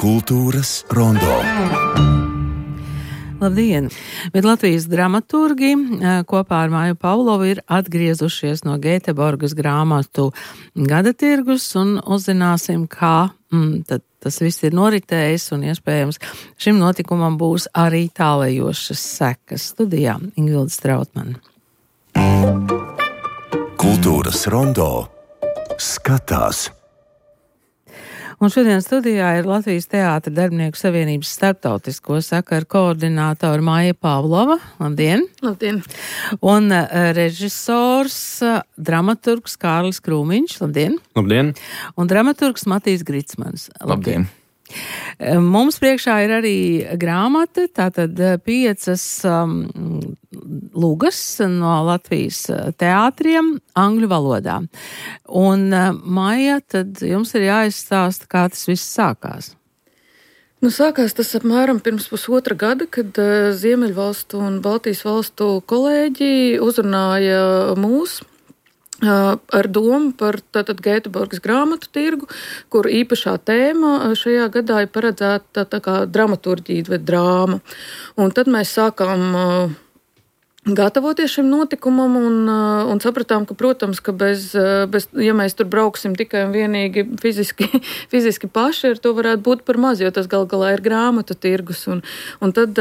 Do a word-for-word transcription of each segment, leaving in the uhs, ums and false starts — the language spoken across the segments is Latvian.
Kultūras rondo. Labdien! Bet Latvijas dramaturgi kopā ar Māju Pavlovu ir atgriezušies no Gēteborgas grāmatu gada tirgus un uzzināsim, kā mm, tad tas viss ir noritējis un iespējams šim notikumam būs arī tālējošas sekas. Studijā Ingvilda Strautmane. Kultūras rondo skatās. Un šodien studijā ir Latvijas Teātra darbinieku savienības starptautisko sakaru koordinātora Māja Pavlova. Labdien! Labdien! Un uh, režisors, uh, dramaturgs Kārlis Krūmiņš. Labdien! Labdien! Un dramaturgs Matīs Gricmans. Labdien! Mums priekšā ir arī grāmata, tātad piecas um, lugas no Latvijas teātriem angļu valodā. Un, uh, Maija, tad jums ir jāizstāsta, kā tas viss sākās. Nu, sākās tas apmēram pirms pusotra gada, kad uh, Ziemeļvalstu un Baltijas valstu kolēģi uzrunāja mūs ar domu par tātad Gēteborgas grāmatu tirgu, kur īpašā tēma šajā gadā ir paredzēta tā kā dramaturģija vai drāma. Un tad mēs sākām gatavoties šim notikumam un, un sapratām, ka, protams, ka bez, bez, ja mēs tur brauksim tikai un vienīgi fiziski, fiziski paši, ar to varētu būt par maz, jo tas gal galā ir grāmatu tirgus. Un, un tad,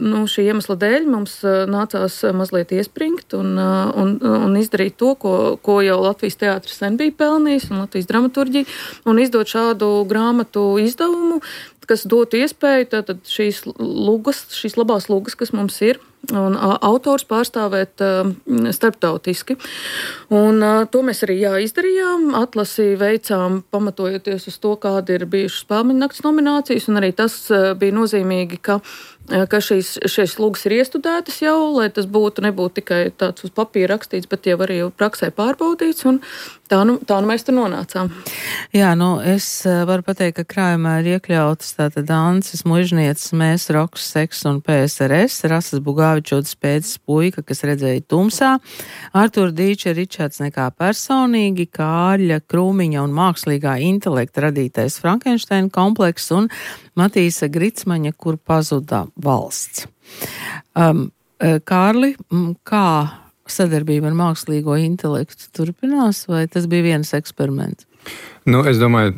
nu, šī iemesla dēļ mums nācās mazliet iespringt un, un, un izdarīt to, ko, ko jau Latvijas teātris sen bija pelnījis un Latvijas dramaturģija, un izdot šādu grāmatu izdevumu, kas dotu iespēju tātad šīs lugas, šīs labās lugas, kas mums ir, un a, autors pārstāvēt a, starptautiski. Un a, to mēs arī jā, izdarījām, atlasi veicām pamatojoties uz to, kāda ir bijušas Spēļu nakts nominācijas, un arī tas a, bija nozīmīgi, ka, a, ka šīs, šīs lugas ir iestudētas jau, lai tas būtu, nebūtu tikai tāds uz papīra rakstīts, bet jau arī praksē pārbaudīts, un tā nu, tā nu mēs tur nonācām. Jā, nu es varu pateikt, ka krājumā ir iekļautas tātad Ances Mužnieces, Mēs, Roks, Seks un P S R S, Rasas Bugāvičotas pēdas puika, kas redzēja tumsā, Artūra Dīča Ričards nekā personīgi, Kārļa Krūmiņa un mākslīgā intelekta radītais Frankensteina komplekss un Matīsa Gricmaņa, kur pazuda valsts. Um, Kārli, kā sadarbība ar mākslīgo intelektu turpinās, vai tas bija viens eksperiments? Nu, es domāju,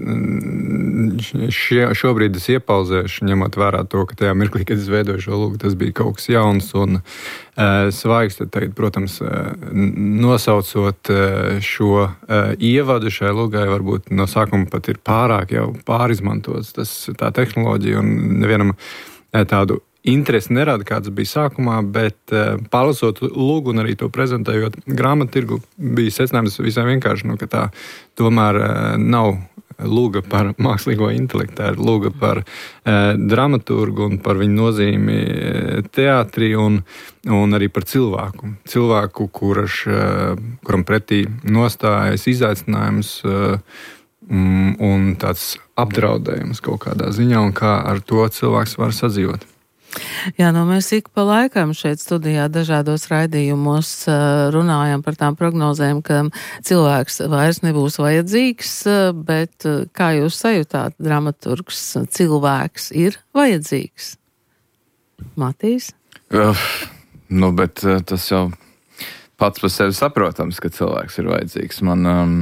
šie, šobrīd es iepauzēšu, ņemot vērā to, ka tajā mirklī, kad es veidoju šo lūgu, tas bija kaut kas jauns un uh, svaigs. Tad, tagad, protams, uh, nosaucot uh, šo uh, ievadu šai lūgai, varbūt no sākuma pat ir pārāk jau pārizmantots tas, tā tehnoloģija un nevienam uh, tādu interesi nerada, kāds bija sākumā, bet uh, pārlasot lūgu un arī to prezentējot grāmatu tirgu, bija secinājums visai vienkārši, nu, ka tā tomēr uh, nav lūga par mākslīgo intelektu, tā ir lūga par uh, dramaturgu un par viņu nozīmi teātrī un, un arī par cilvēku. Cilvēku, kurš, uh, kuram pretī nostājas izaicinājums uh, un tāds apdraudējums kaut kādā ziņā un kā ar to cilvēks var sadzīvot. Jā, nu mēs ik pa laikam šeit studijā dažādos raidījumos runājam par tām prognozēm, ka cilvēks vairs nebūs vajadzīgs, bet kā jūs sajūtāt, dramaturgs, cilvēks ir vajadzīgs? Matīs? Uh, nu, bet uh, tas jau pats par sevi saprotams, ka cilvēks ir vajadzīgs. Man, um,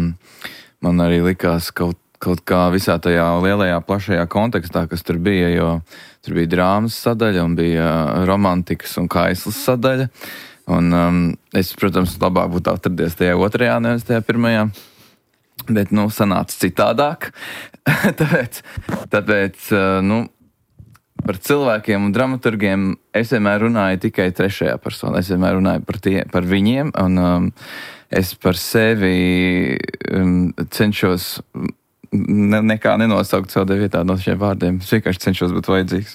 man arī likās kaut kaut kā visā tajā lielajā, plašajā kontekstā, kas tur bija, jo tur bija drāmas sadaļa un bija romantikas un kaislas sadaļa. Un um, es, protams, labāk būtu atradies tajā otrajā, nevis tajā pirmajā. Bet, nu, sanāca citādāk. tāpēc, tāpēc, nu, par cilvēkiem un dramaturgiem es vienmēr runāju tikai trešajā personā. Es vienmēr runāju par, tie, par viņiem, un um, es par sevi um, cenšos Ne, nekā nenosaukt savu vietā no šiem vārdiem. Es vienkārši cenšos būt vajadzīgs.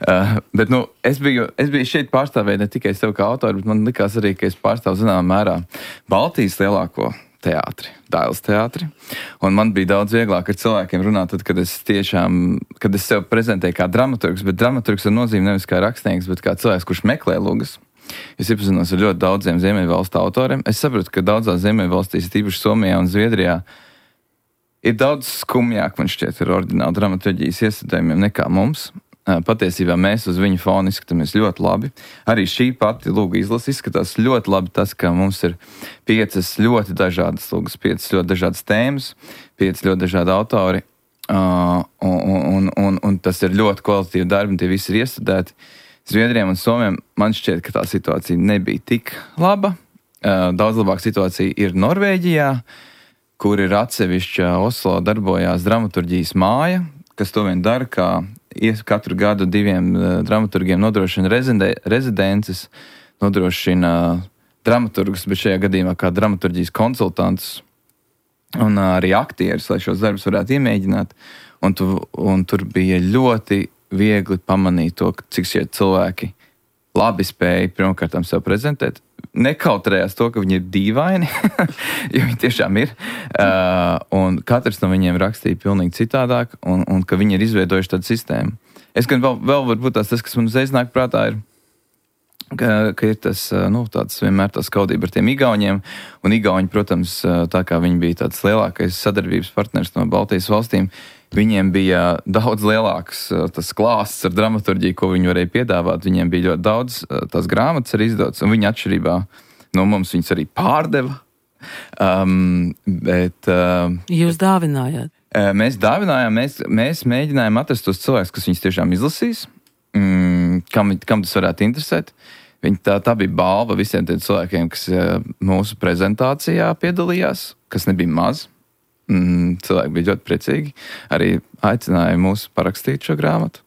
Uh, bet, nu, es biju, es biju šeit pārstāvēt ne tikai sev kā autoru, bet man likās arī, ka es pārstāvu zināmā mērā Baltijas lielāko teātri, Dailes teātri. Un man bija daudz vieglāk ar cilvēkiem runāt, tad, kad es tiešām, kad es sev prezentēju kā dramaturgs, bet dramaturgs ar nozīmi nevis kā rakstnieks, bet kā cilvēks, kurš meklē lugas. Es iepazinos ar ļoti daudziem Ziemeļvalstu autoriem. Es saprotu, ka daudzās Ziemeļvalstīs, tīpaši Somijā un Zviedrijā, ir daudz skumjāk, man šķiet, ar oriģinālu dramaturģijas iestudējumiem nekā mums. Patiesībā mēs uz viņu fonu izskatāmies ļoti labi. Arī šī pati lūga izlase izskatās ļoti labi tas, ka mums ir piecas ļoti dažādas lūgas, piecas ļoti dažādas tēmas, piecas ļoti dažādi autori, uh, un, un, un, un tas ir ļoti kvalitatīvi darbi, un tie visi ir iestudēti. Zviedriem un Somiem man šķiet, ka tā situācija nebija tik laba. Uh, daudz labāka situācija ir Norvēģijā, kur ir atsevišķa Oslo darbojās dramaturģijas māja, kas to vien dara, kā katru gadu diviem uh, dramaturgiem nodrošina rezidē, rezidences, nodrošina uh, dramaturgus, bet šajā gadījumā kā dramaturģijas konsultants un uh, arī aktieris, lai šos darbus varētu iemēģināt. Un, tu, un tur bija ļoti viegli pamanīt to, cik šie cilvēki labi spēja pirmkārt sev prezentēt. Nekautrējās to, ka viņi ir dīvaini, jo viņi tiešām ir. Uh, un katrs no viņiem rakstīja pilnīgi citādāk, un, un ka viņi ir izveidojuši tādu sistēmu. Es gan vēl, vēl varbūt tās, tas, kas man uzreiz nāk prātā, ir, ka, ka ir tas, nu, tāds vienmēr tā skaudība ar tiem igauņiem. Un igauņi, protams, tā kā viņi bija tāds lielākais sadarbības partners no Baltijas valstīm, viņiem bija daudz lielāks tas klāsts ar dramaturģiju, ko viņi varēja piedāvāt. Viņiem bija ļoti daudz tās grāmatas arī izdotas, un viņi atšķirībā no mums viņas arī pārdeva. Um, bet, uh, Jūs dāvinājāt? Uh, mēs dāvinājām, mēs, mēs mēģinājām atrast tos cilvēkus, kas viņus tiešām izlasīs, mm, kam, kam tas varētu interesēt. Viņi, tā, tā bija balva visiem tiem cilvēkiem, kas uh, mūsu prezentācijā piedalījās, kas nebija maz. Mm, cilvēki bija ļoti priecīgi. Arī aicināja mūs parakstīt šo grāmatu.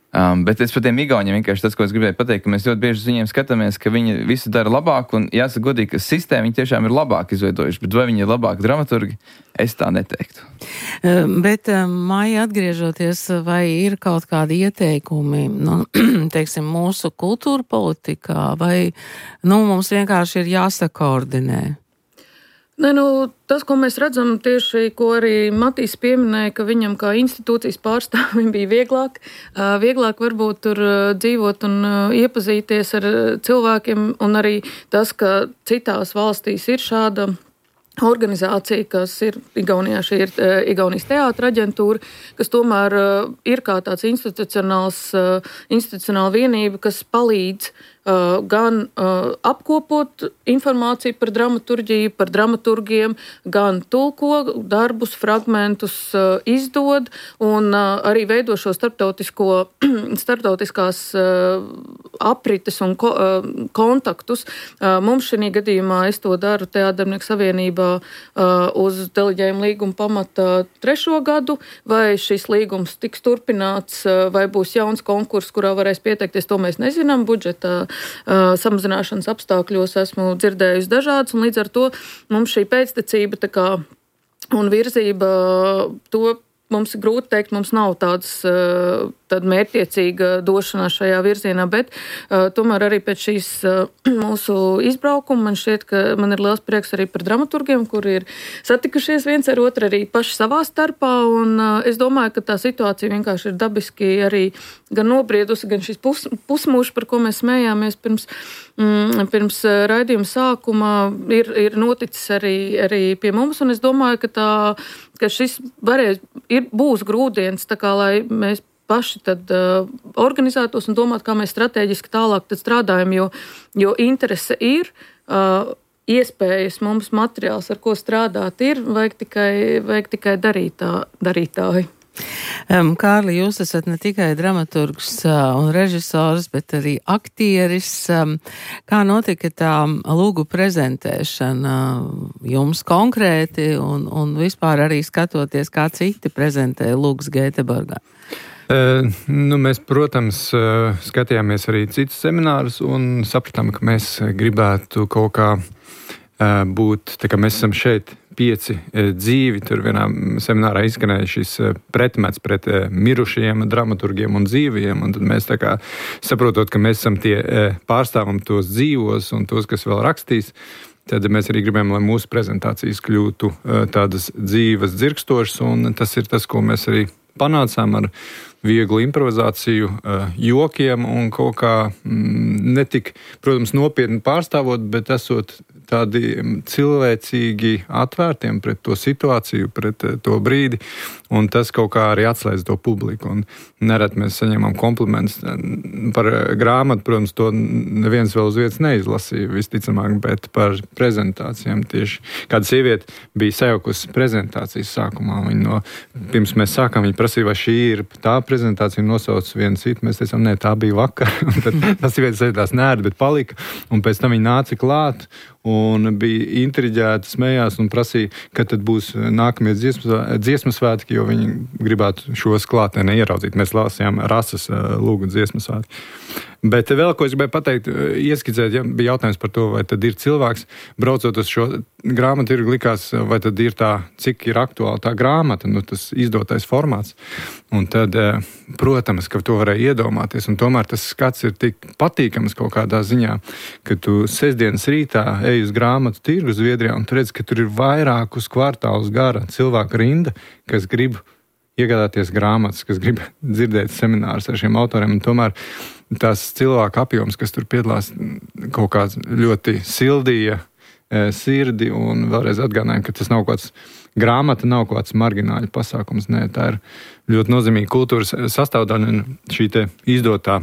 Um, bet es par tiem igauņiem vienkārši tas, ko es gribēju pateikt, ka mēs ļoti bieži uz viņiem skatāmies, ka viņi visu dara labāk, un jāsaka godīgi, ka sistēma viņi tiešām ir labāk izveidojuši, bet vai viņi ir labāk dramaturgi, es tā neteiktu. Bet, Maija, atgriežoties, vai ir kaut kādi ieteikumi, nu, teiksim, mūsu kultūra politikā, vai, nu, mums vienkārši ir jāsakoordinē? Ne, nu, tas, ko mēs redzam tieši, ko arī Matīs pieminēja, ka viņam kā institūcijas pārstāvim bija vieglāk, vieglāk varbūt tur dzīvot un iepazīties ar cilvēkiem, un arī tas, ka citās valstīs ir šāda organizācija, kas ir Igaunijā, šī ir Igaunijas teātra aģentūra, kas tomēr ir kā tāds institucionāls, institucionāla vienība, kas palīdz Uh, gan uh, apkopot informāciju par dramaturģiju, par dramaturgiem, gan tulko darbus, fragmentus uh, izdod un uh, arī veido šo starptautisko, starptautiskās uh, aprites un ko, uh, kontaktus. Uh, mums šī gadījumā es to daru Teātrdarbnieku savienībā uh, uz deleģējuma līguma pamata trešo gadu, vai šis līgums tiks turpināts, uh, vai būs jauns konkurss, kurā varēs pieteikties, to mēs nezinām, budžeta Uh, samazināšanas apstākļos esmu dzirdējusi dažādas, un līdz ar to mums šī pēctecība tā kā un virzība, to mums ir grūti teikt, mums nav tāds, uh, tāda mērķtiecīga došanās šajā virzienā, bet uh, tomēr arī pēc šīs uh, mūsu izbraukuma man šķiet, ka man ir liels prieks arī par dramaturgiem, kuri ir satikušies viens ar otru arī paši savā starpā, un uh, es domāju, ka tā situācija vienkārši ir dabiski arī gan nobriedusi, gan šis pus, pusmūžs, par ko mēs smējāmies pirms, mm, pirms raidījuma sākuma, ir, ir noticis arī, arī pie mums, un es domāju, ka, tā, ka šis varēs, ir, būs grūdienis, tā kā lai mēs paši tad uh, organizētos un domāt, kā mēs strateģiski tālāk tad strādājam, jo, jo interese ir, uh, iespējas mums materiāls, ar ko strādāt ir, vajag tikai, vajag tikai darītā, darītāji. Um, Kārli, jūs esat ne tikai dramaturgs uh, un režisors, bet arī aktieris. Um, kā notika tā lūgu prezentēšana jums konkrēti un, un vispār arī skatoties, kā citi prezentē lūgas Gēteborgā? Uh, nu, mēs, protams, uh, skatījāmies arī citus seminārus un sapratām, ka mēs gribētu kaut kā uh, būt, tā kā mēs esam šeit pieci uh, dzīvi, tur vienā seminārā izskanēja šis uh, pretmets pret uh, mirušajiem dramaturgiem un dzīviem, un tad mēs tā kā saprotot, ka mēs esam tie uh, pārstāvam tos dzīvos un tos, kas vēl rakstīs, tad mēs arī gribējām, lai mūsu prezentācijas kļūtu uh, tādas dzīves, dzirkstošas, un tas ir tas, ko mēs arī panācām ar vieglu improvizāciju, jokiem un kaut kā netik, protams, nopietni pārstāvot, bet esot tādi cilvēcīgi atvērtiem pret to situāciju, pret to brīdi, un tas kaut kā arī atslēdz to publiku. Un nerad mēs saņemam komplimentus par grāmatu, protams, to neviens vēl uz vietas neizlasīja, visticamāk, bet par prezentācijām tieši. Kāda sieviete bija sajaukusi prezentācijas sākumā, viņa no, pirms mēs sākām, viņa prasīja, vai šī ir tā prezentācija, nosauc vienu citu, mēs teicām, nē, tā bija vakar, un tad tas sievietes sēdās nēri, bet palika, un pēc tam viņa nāca klāt, un bija intriģēta, smējās un prasīja, kad tad būs nākamie dziesmu svētki, jo viņi gribētu šos klātienē ieraudzīt. Mēs lasījām Rases lūgu dziesmu svētki. Bet vēl, ko es gribēju pateikt, ieskicēt, ja bija jautājums par to, vai tad ir cilvēks, braucot uz šo grāmatu, ir likās, vai tad ir tā, cik ir aktuāla tā grāmata, nu tas izdotais formāts. Un tad, protams, ka to varēja iedomāties, un tomēr tas skats ir tik patīkams kaut kādā ziņā, ka tu sestdienas rītā ej uz grāmatu tirgu Zviedrijā, un tu redz, ka tur ir vairākus kvartālus gara cilvēku rinda, kas grib iegādāties grāmatas, kas grib dzirdēt seminārus ar šiem autoriem, un tomēr tās cilvēku apjoms, kas tur piedalās, kaut kā ļoti sildīja e, sirdi, un vēlreiz atgādināju, ka tas nav kāds grāmata, nav kāds margināļu pasākums, nē, tā ir ļoti nozīmīga kultūras sastāvdaļa, un šī te izdotā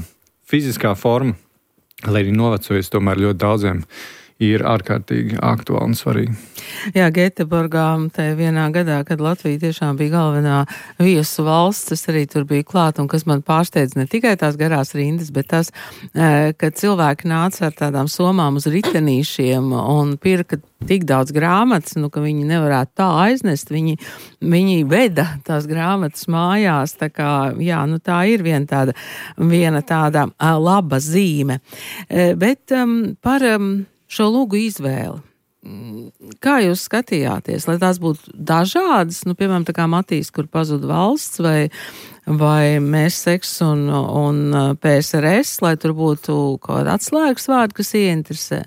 fiziskā forma, lai arī novecojas, tomēr ļoti daudziem ir ārkārtīgi aktuāli un svarīgi. Jā, Gēteborgā, tā vienā gadā, kad Latvija tiešām bija galvenā viesu valsts, tas arī tur bija klāt, un kas man pārsteidz ne tikai tās garās rindas, bet tas, ka cilvēki nāca ar tādām somām uz ritenīšiem un pirka tik daudz grāmatas, nu, ka viņi nevarētu tā aiznest, viņi, viņi veda tās grāmatas mājās, tā kā, jā, nu tā ir viena tāda, viena tāda laba zīme. Bet um, par um, šo lūgu izvēli. Kā jūs skatījāties, lai tās būtu dažādas, nu, piemēram, tā kā Matīs, kur pazuda valsts, vai, vai mēs seks un, un P S R S, lai tur būtu kaut kāda atslēgas vārdi, kas ieinteresē?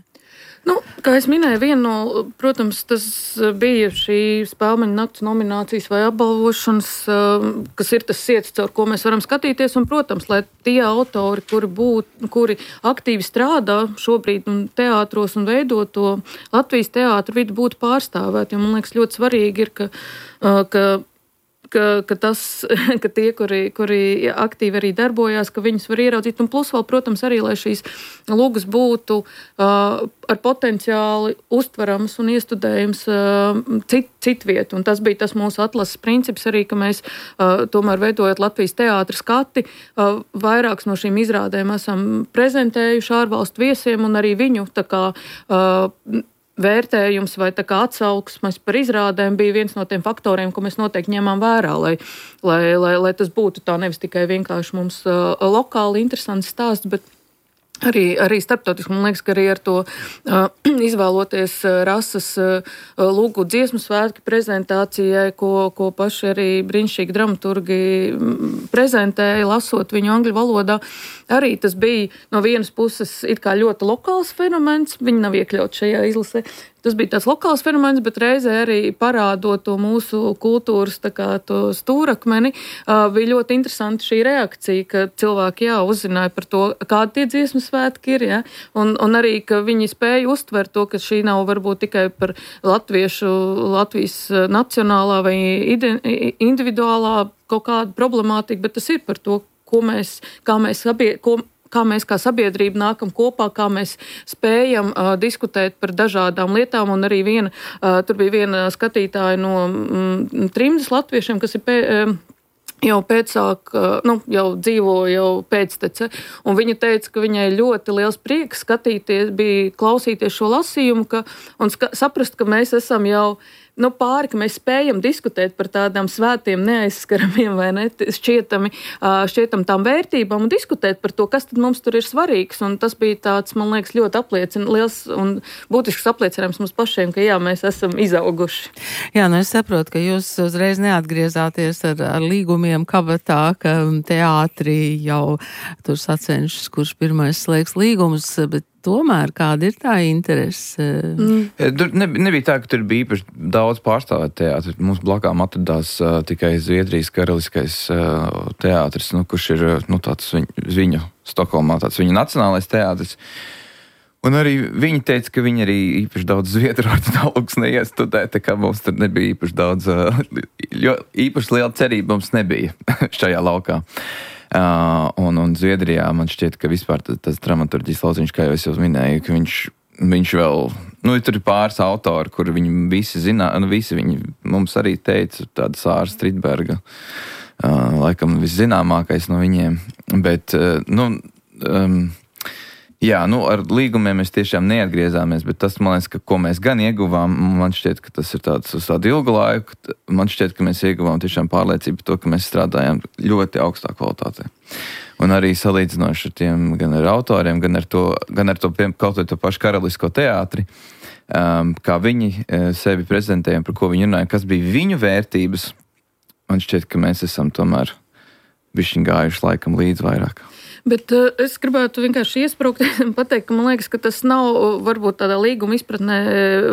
Nu, kā es minēju, viena no, protams, tas bija šī Spēlmeņa nakts nominācijas vai apbalvošanas, kas ir tas siets, caur ko mēs varam skatīties, un, protams, lai tie autori, kuri, būt, kuri aktīvi strādā šobrīd un teātros un veido to Latvijas teātru vidi, būtu pārstāvēti, jo man liekas ļoti svarīgi ir, ka, ka Ka, ka, tas, ka tie, kuri, kuri aktīvi arī darbojās, ka viņus var ieraudzīt. Un plus vēl, protams, arī, lai šīs lūgas būtu uh, ar potenciāli uztveramas un iestudējums uh, cit, citvietu. Un tas bija tas mūsu atlases princips arī, ka mēs uh, tomēr veidojot Latvijas teātra skati, uh, vairākas no šīm izrādēm esam prezentējuši ārvalstu viesiem un arī viņu tā kā uh, vērtējums vai tā kā atsauksmes par izrādēm bija viens no tiem faktoriem, ko mēs noteikti ņemām vērā, lai, lai, lai, lai tas būtu tā nevis tikai vienkārši mums uh, lokāli interesants stāsts, bet Arī, arī starptautiski, man liekas, ka arī ar to uh, izvēloties uh, Rases uh, lūgu dziesmu svētki prezentācijai, ko, ko paši arī brīnišķīgi dramaturgi prezentēja, lasot viņu angļu valodā, arī tas bija no vienas puses it kā ļoti lokāls fenomens, viņi nav iekļauts šajā izlasē. Tas bija tāds lokāls fenomens, bet reizē arī parādot to mūsu kultūras tā kā to stūrakmeni, uh, bija ļoti interesanti šī reakcija, ka cilvēki jā, uzzināja par to, kādi tie dziesmu svētki ir, ja? un, un arī, ka viņi spēja uztvert to, ka šī nav varbūt tikai par latviešu, Latvijas nacionālā vai individuālā kaut kāda problemātika, bet tas ir par to, ko mēs, kā mēs sabie, ko, kā mēs kā sabiedrība nākam kopā, kā mēs spējam uh, diskutēt par dažādām lietām, un arī viena, uh, tur bija viena skatītāja no mm, trimdas latviešiem, kas ir pē, uh, jau pēcāk, uh, nu, jau dzīvo jau pēctece, un viņa teica, ka viņai ļoti liels prieks skatīties, bija klausīties šo lasījumu, ka, un ska, saprast, ka mēs esam jau nu, pāri, ka mēs spējam diskutēt par tādām svētiem, neaizskaramiem vai ne, šķietami, šķietam tām vērtībām un diskutēt par to, kas tad mums tur ir svarīgs. Un tas bija tāds, man liekas, ļoti apliecina, liels un būtisks apliecinājums mums pašiem, ka jā, mēs esam izauguši. Jā, nu es saprotu, ka jūs uzreiz neatgriezāties ar, ar līgumiem kabatā, ka teātrī jau tur sacenšas, kurš pirmais slēgs līgumus, bet tomēr kāda ir tā interese? Mm. Tur nebija tā, ka tur bija īpaši daudz pārstāvēt teātri. Mums blakām atradās uh, tikai Zviedrijas karaliskais uh, teātris, nu, kurš ir nu, tāds viņu, viņu Stokholmā, tāds viņu nacionālais teātris. Un arī viņi teica, ka viņi arī īpaši daudz zviedru ortodoks neiestudē, tā kā mums tur nebija īpaši daudz, uh, īpaši liela cerība mums nebija šajā laukā. Uh, un, un Zviedrijā man šķiet, ka vispār tas, tas dramaturģijas lauciņš, kā jau es jau minēju, ka viņš, viņš vēl, nu, tur ir pāris autori, kur viņi visi zina, nu, visi viņi mums arī teica, tāda Sāra Stridberga, uh, laikam viszināmākais no viņiem, bet, uh, nu, um, jā, nu, ar līgumiem mēs tiešām neatgriezāmies, bet tas, man liekas, ka ko mēs gan ieguvām, man šķiet, ka tas ir tāds uz tādu ilgu laiku, man šķiet, ka mēs ieguvām tiešām pārliecību to, ka mēs strādājam ļoti augstā kvalitātē. Un arī salīdzinoši ar tiem, gan ar autoriem, gan ar to, gan ar to, kaut vai to pašu karalisko teātri, um, kā viņi sevi prezentēja, par ko viņi runāja, kas bija viņu vērtības, man šķiet, ka mēs esam tomēr bišķiņ gājuši laikam līdz vairāk. Bet uh, es gribētu vienkārši iesprūkt un pateikt, ka man liekas, ka tas nav, varbūt tādā līguma izpratnē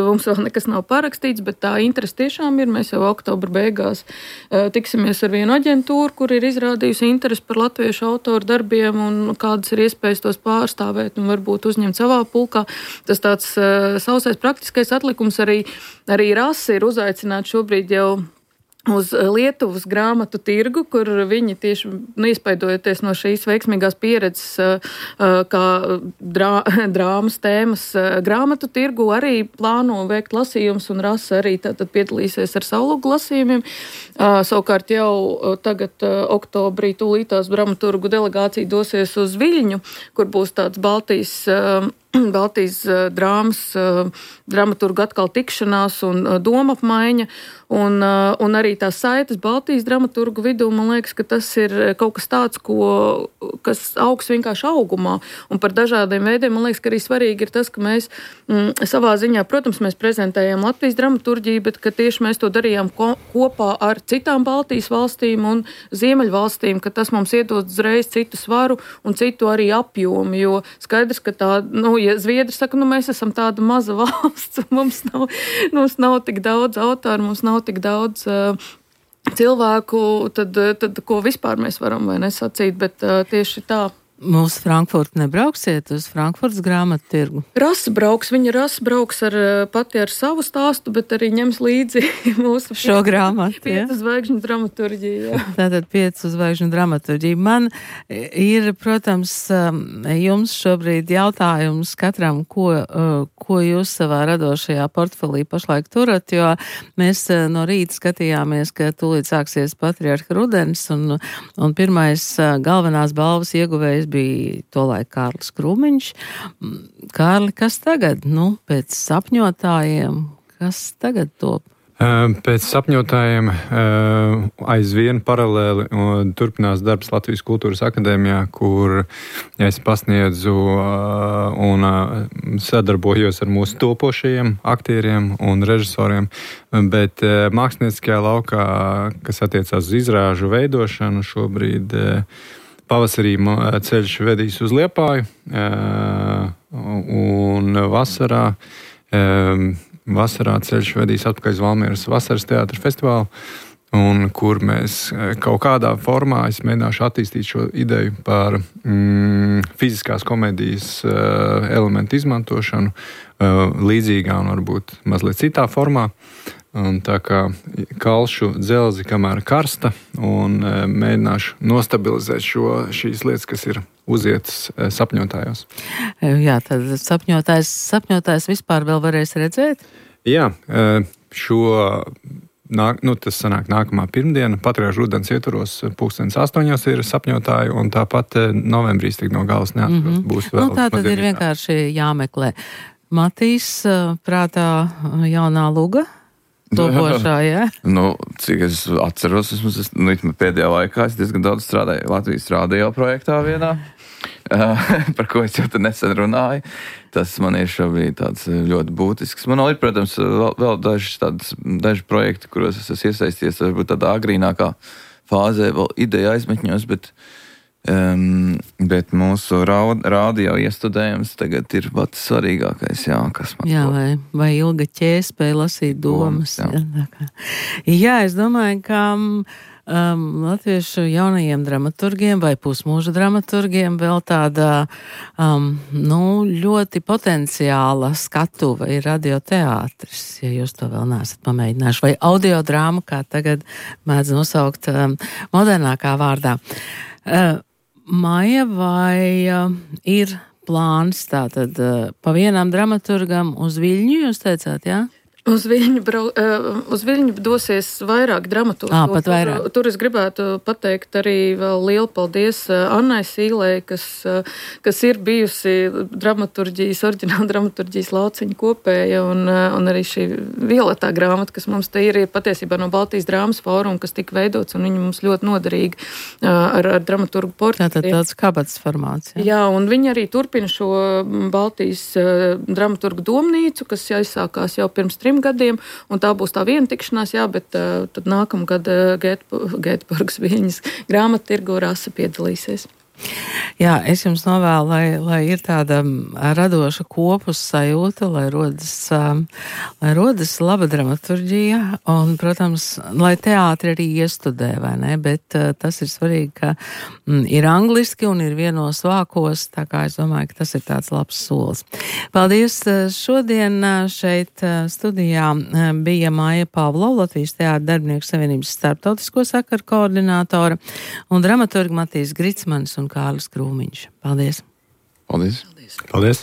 mums vēl nekas nav parakstīts, bet tā interese tiešām ir. Mēs jau oktobra beigās uh, tiksimies ar vienu aģentūru, kur ir izrādījusi interesi par latviešu autoru darbiem un kādas ir iespējas tos pārstāvēt un varbūt uzņemt savā pulkā. Tas tāds uh, sausais praktiskais atlikums arī, arī rasa ir uzaicināts šobrīd jau uz Lietuvas grāmatu tirgu, kur viņi tieši nu, iespaidojoties no šīs veiksmīgās pieredzes, kā drā, drāmas tēmas grāmatu tirgu, arī plāno veikt lasījumus un rasa arī tātad piedalīsies ar savlūgu lasījumiem. Savukārt jau tagad oktobrī tūlītās dramaturgu delegācija dosies uz Viļņu, kur būs tāds Baltijas Baltijas drāmas, dramaturgu atkal tikšanās un domapmaiņa, un, un arī tās saites Baltijas dramaturgu vidū, man liekas, ka tas ir kaut kas tāds, ko, kas augs vienkārši augumā, un par dažādiem veidiem, man liekas, ka arī svarīgi ir tas, ka mēs m, savā ziņā, protams, mēs prezentējam Latvijas dramaturģiju, bet ka tieši mēs to darījām ko, kopā ar citām Baltijas valstīm un Ziemeļvalstīm, ka tas mums iedod uzreiz citu svaru un citu arī apjomu, jo skaidrs, ka tā, nu, ja Zviedri saka, nu, mēs esam tāda maza valsts, mums nav, mums nav tik daudz autoru, mums nav tik daudz uh, cilvēku, tad, tad ko vispār mēs varam vai nesacīt, bet uh, tieši tā. Uz Frankfurtu nebrauksiet, uz Frankfurtas grāmatu tirgu? Rasa brauks, viņa rasa brauks ar, pati ar savu stāstu, bet arī ņems līdzi mūsu šo grāmatu. Piecu zvaigžņu dramaturģiju. Jā. Tātad piecu zvaigžņu dramaturģiju. Man ir, protams, jums šobrīd jautājums katram, ko, ko jūs savā radošajā portfelī pašlaik turat, jo mēs no rīta skatījāmies, ka tūlīt sāksies Patriarha rudens, un, un pirmais galvenās balvas ieguvējs bija tolaik Kārlis Krūmiņš. Kārli, kas tagad? Nu, pēc sapņotājiem, kas tagad top? Pēc sapņotājiem aizvien paralēli turpinās darbs Latvijas Kultūras akadēmijā, kur es pasniedzu un sadarbojos ar mūsu topošajiem aktieriem un režisoriem, bet mākslinieckajā laukā, kas attiecās uz izrāžu veidošanu, šobrīd pavasarī ceļš vedīs uz Liepāju, un vasarā, vasarā ceļš vedīs atpakaļ uz Valmieras vasaras teātra festivālu, un kur mēs kaut kādā formā, es mēģināšu attīstīt šo ideju par mm, fiziskās komēdijas uh, elementu izmantošanu uh, līdzīgā un varbūt mazliet citā formā. Un tā kā kalšu dzelzi, kamēr karsta, un e, mēģināšu nostabilizēt šo, šīs lietas, kas ir uzietas e, sapņotājos. Jā, tad sapņotājs, sapņotājs vispār vēl varēs redzēt? Jā, e, šo, nāk, nu, tas sanāk nākamā pirmdiena, Patriarha rudens ietvaros, pulkstens astoņos ir sapņotāji, un tāpat e, novembrīs tik no galas neatros. Mm-hmm. Būs vēl. Nu, tā tad ir vienkārši jāmeklē. Matīs, prātā jaunā luga? Topošā, jā? Nu, cik es atceros, es, nu, pēdējā laikā es diezgan daudz strādāju Latvijas radio projektā vienā, par ko es jau te nesen runāju. Tas man ir šobrīd tāds ļoti būtisks. Man ir, protams, vēl, vēl daži, tādas, daži projekti, kuros es esmu iesaisties, varbūt tādā agrīnākā fāzē, vēl ideja aizmetņos, bet Um, bet mūsu rādio iestudējums tagad ir pats svarīgākais, jā, kas man jā, vai, vai Ilga ķēspēja lasīt domas. domas jā. Jā, jā, es domāju, ka um, latviešu jaunajiem dramaturgiem vai pusmūža dramaturgiem vēl tāda um, nu, ļoti potenciāla skatuva ir radioteātris, ja jūs to vēl neesat pamēģinājuši, vai audiodrāma, kā tagad mēdz nosaukt um, modernākā vārdā. Uh, Maija, vai uh, ir plāns tātad uh, pa vienam dramaturgam uz Viļņu, jūs teicāt, jā? Uz Viļņu, brau, uz Viļņu dosies vairāk dramaturgu. Ā, pat vairāk. Tur, tur es gribētu pateikt arī vēl lielu paldies Annai Sīlei, kas, kas ir bijusi dramaturģijas, oriģināla dramaturģijas lauciņa kopēja, un, un arī šī violetā grāmata, kas mums te ir, ir patiesībā no Baltijas drāmas fóruma, kas tika veidots, un viņa mums ļoti noderīgi ar, ar dramaturgu portretiem. Tātad tāds kabatas formāts. Jā. jā, un viņi arī turpina šo Baltijas dramaturgu domnīcu, kas aizsākās jau pirms trim gadiem, un tā būs tā viena tikšanās, jā, bet uh, tad nākamgad uh, Gēteborgas Viļņas grāmattirgu Rasa piedalīsies. Jā, es jums novēlu, lai, lai ir tāda radoša kopus sajūta, lai rodas, lai rodas laba dramaturģija, un, protams, lai teātri arī iestudē, vai ne, bet tas ir svarīgi, ka m, ir angliski un ir vienos vākos, tā kā es domāju, ka tas ir tāds labs solis. Paldies! Šodien šeit studijā bija Maija Pavlova, Latvijas teātra darbinieku savienības starptautisko sakaru koordinātora, un dramaturgi Matīs Gricmanis un Kārlis Krūmiņš. Paldies! Paldies! Paldies!